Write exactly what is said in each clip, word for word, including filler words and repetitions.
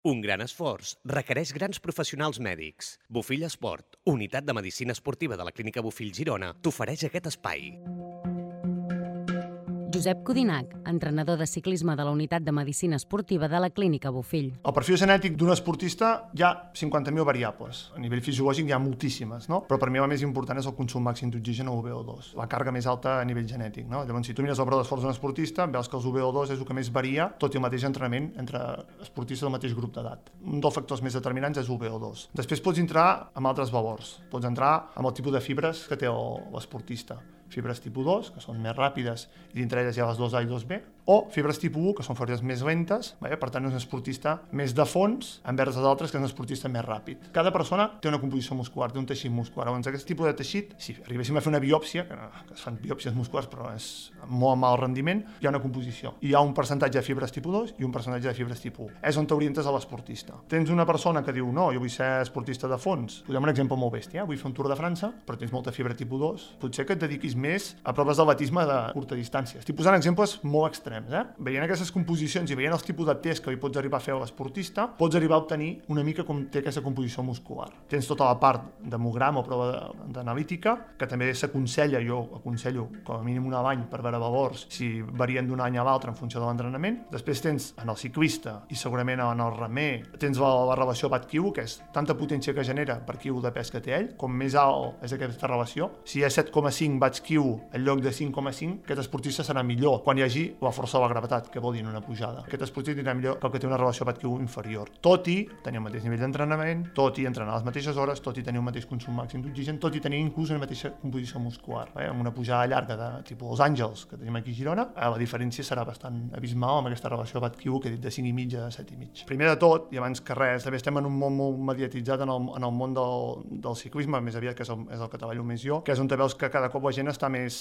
Un gran esforç requereix grans professionals mèdics. Bofill Esport, unitat de medicina esportiva de la Clínica Bofill Girona, t'ofereix aquest espai. Josep Codinac, entrenador de ciclisme de la unitat de medicina esportiva de la Clínica Bofill. El perfil genètic d'un esportista hi ha cinquanta mil variables. A nivell fisiològic hi ha moltíssimes, no? Però per mi la més important és el consum màxim d'oxigen o U V O dos, la càrrega més alta a nivell genètic, no? Llavors, si tu mires el preu d'esforç d'un esportista, veus que el U V O dos és el que més varia, tot i el mateix entrenament entre esportistes del mateix grup d'edat. Un dels factors més determinants és U V O dos. Després pots entrar amb altres valors. Pots entrar amb el tipus de fibres que té l'esportista. Fibres tipus dos, que són més ràpides, i dintre elles hi ha les dos A i dos B, o fibres tipus u, que són fibres més lentes, per tant és un esportista més de fons envers els altres, que és un esportista més ràpid. Cada persona té una composició muscular, té un teixit muscular. Llavors, aquest tipus de teixit, si arribéssim a fer una biòpsia, que, no, que es fan biòpsies musculars però és molt mal rendiment, hi ha una composició. Hi ha un percentatge de fibres tipus dos i un percentatge de fibres tipus u. És on t'orientes a l'esportista. Tens una persona que diu, no, jo vull ser esportista de fons. Posem un exemple molt bèstia, vull fer un Tour de França, però tens molta fibra tipus dos, potser que et dediquis més a proves d'atletisme de curta distància. Estic posant exemples molt extrems, eh? Veient aquestes composicions i veient els tipus de test que li pots arribar a fer a l'esportista, pots arribar a obtenir una mica com té aquesta composició muscular. Tens tota la part d'hemograma o prova d'analítica, que també s'aconsella, jo aconsello com a mínim un any per veure valors si varien d'un any a l'altre en funció de l'entrenament. Després tens en el ciclista i segurament en el remer, tens la, la relació watt-quilo, que és tanta potència que genera per quilo de pes que té ell, com més alt és aquesta relació. Si hi ha set coma cinc watts-quilo en lloc de cinc coma cinc, aquest esportista serà millor quan hi hagi la força de la gravetat, que vol dir en una pujada. Aquest esportista tindrà millor que el que té una relació watt-quilo inferior. Tot i tenir el mateix nivell d'entrenament, tot i entrenar a les mateixes hores, tot i tenir un mateix consum màxim d'oxigen, tot i tenir inclús una mateixa composició muscular. Eh? Amb una pujada llarga de tipus Los Àngels, que tenim aquí a Girona, la diferència serà bastant abismal amb aquesta relació watt-quilo que he dit de cinc i mig a set i mig. Primer de tot, i abans que res, també estem en un món molt mediatitzat en el, en el món del, del ciclisme, més aviat que és el, és el que treballo més jo, que és on te veus que cada cop la gent està més,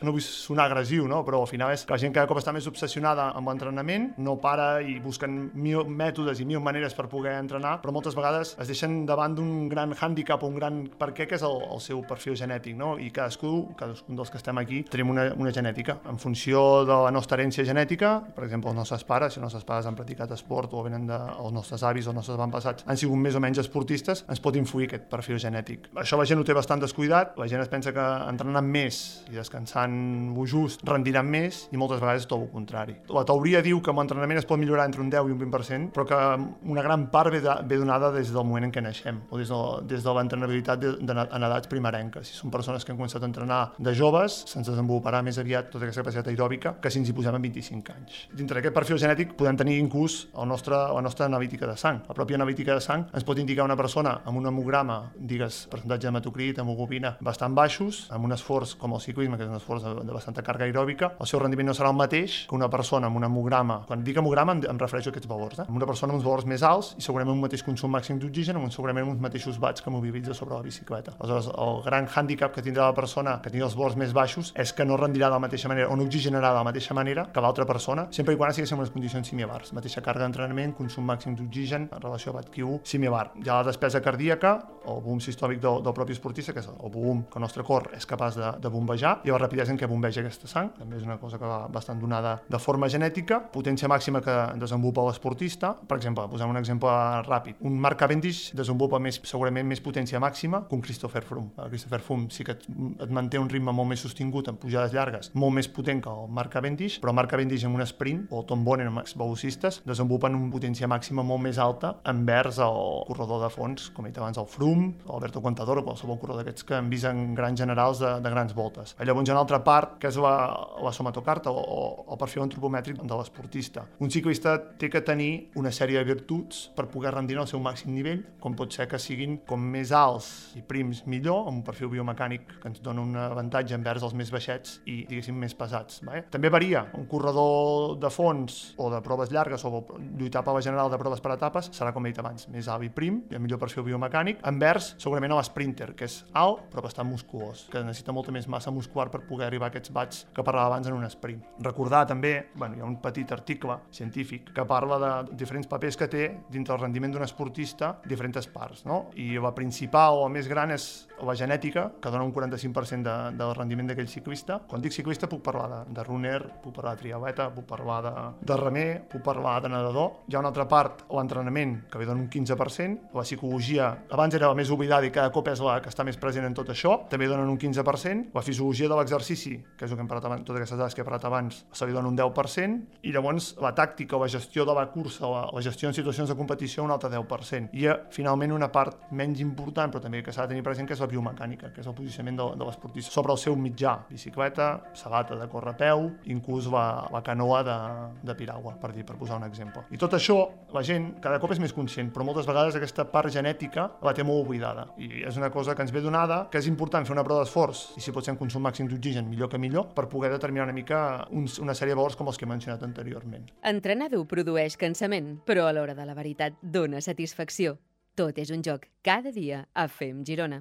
no vull sonar agressiu, no? Però al final és que la gent cada cop està més obsessionada amb l'entrenament, no para i busquen mil mètodes i mil maneres per poder entrenar, però moltes vegades es deixen davant d'un gran hàndicap o un gran per què, que és el, el seu perfil genètic, no? I cadascú, cadascun dels que estem aquí, tenim una, una genètica. En funció de la nostra herència genètica, per exemple, els nostres pares, si els nostres pares han practicat esport o venen de, els nostres avis o els nostres avantpassats han sigut més o menys esportistes, ens pot influir aquest perfil genètic. Això la gent ho té bastant descuidat, la gent es pensa que entrenant més i descansant lo just rendiran més i moltes vegades és tot el contrari. La teoria diu que amb l'entrenament es pot millorar entre un deu i un vint per cent, però que una gran part ve, de, ve donada des del moment en què naixem o des de, des de l'entrenabilitat de, de, en edats primerenques. Si són persones que han començat a entrenar de joves, se'ns desenvoluparà més aviat tota aquesta capacitat aeròbica que si ens hi posem amb vint-i-cinc anys. Dintre d'aquest perfil genètic podem tenir inclús el nostre, la nostra analítica de sang. La pròpia analítica de sang ens pot indicar una persona amb un hemograma, digues, percentatge d'hematocrit, hemoglobina bastant baixos, amb un esforç com el ciclisme, que és un esforç de, de bastanta càrrega aeròbica, el seu rendiment no serà el mateix que una persona amb un hemograma. Quan dic hemograma em, em refereixo a aquests valors. Eh? Una persona amb uns valors més alts i segurament un mateix consum màxim d'oxigen, amb segurament uns mateixos watts que mobilitza sobre la bicicleta. Aleshores, el gran hàndicap que tindrà la persona que tingui els valors més baixos és que no rendirà de la mateixa manera o no oxigenarà de la mateixa manera que l'altra persona, sempre i quan estiguéssim en unes condicions similars. Mateixa càrrega d'entrenament, consum màxim d'oxigen, en relació a watt-quilo similar. Hi ha la despesa cardíaca, el volum sistòlic del, del propi esportista, que és el volum que el nostre cor és capaç de, de bombejar, i la rapidesa en què bombeja aquesta sang, també és una cosa que va bastant donada de forma genètica, potència màxima que desenvolupa l'esportista. Per exemple, posem un exemple ràpid. Un Mark Cavendish desenvolupa més, segurament més potència màxima que un Christopher Froome. El Christopher Froome sí que et, et manté un ritme molt més sostingut en pujades llargues, molt més potent que el Mark Cavendish, però Mark Cavendish en un sprint, o Tom Bonen en els velocistes, desenvolupen una potència màxima molt més alta envers el corredor de fons, com he dit abans, el Froome, Alberto Contador o qualsevol corredor d'aquests que hem vist en grans generals de, de grans voltes. Llavors hi ha una altra part, que és la, la somatocarta o, o el perfil antropomètric de l'esportista. Un ciclista té que tenir una sèrie de virtuts per poder rendir al seu màxim nivell, com pot ser que siguin com més alts i prims millor, amb un perfil biomecànic que ens dona un avantatge envers els més baixets i, diguéssim, més pesats. Vale? També varia. Un corredor de fons o de proves llargues o lluitar per la general de proves per etapes serà, com he dit abans, més alt i prim, i el millor perfil biomecànic, envers segurament a l'sprinter, que és alt però bastant musculós, que necessita molta més massa muscular per poder arribar a aquests watts que parlava abans en un sprint. Recordar també, bueno, hi ha un petit article científic que parla de diferents papers que té dintre el rendiment d'un esportista diferents parts, no? I la principal o la més gran és la genètica, que dona un quaranta-cinc per cent de, del rendiment d'aquell ciclista. Quan dic ciclista puc parlar de, de runner, puc parlar de triatleta, puc parlar de, de remer, puc parlar de nedador. Hi ha una altra part, l'entrenament, que li dona un quinze per cent. La psicologia, abans era la més oblidada i cada cop és la que està més present en tot això, també donen un quinze per cent. La fisiologia de l'exercici, que és el que hem parlat abans, totes aquestes dades que he parlat abans, se li dona un deu per cent. I llavors la tàctica o la gestió de la cursa, la, la gestió en situacions de competició, un altre deu per cent. I finalment una part menys important, però també que s'ha de tenir present, que és la biomecànica, que és el posicionament de, de l'esportista sobre el seu mitjà, bicicleta, sabata de córrer a peu, inclús la, la canoa de, de piragua, per dir, per posar un exemple. I tot això, la gent cada cop és més conscient, però moltes vegades aquesta part genètica la té molt oblidada. I és una cosa que ens ve donada, que és important fer una prova d'esforç, i si pot ser un consum màxim d'oxigen, millor que millor, per poder determinar una mica uns, una sèrie de valors com els que he mencionat anteriorment. Entrenar dur produeix cansament, però a l'hora de la veritat dona satisfacció. Tot és un joc, cada dia a Fem Girona.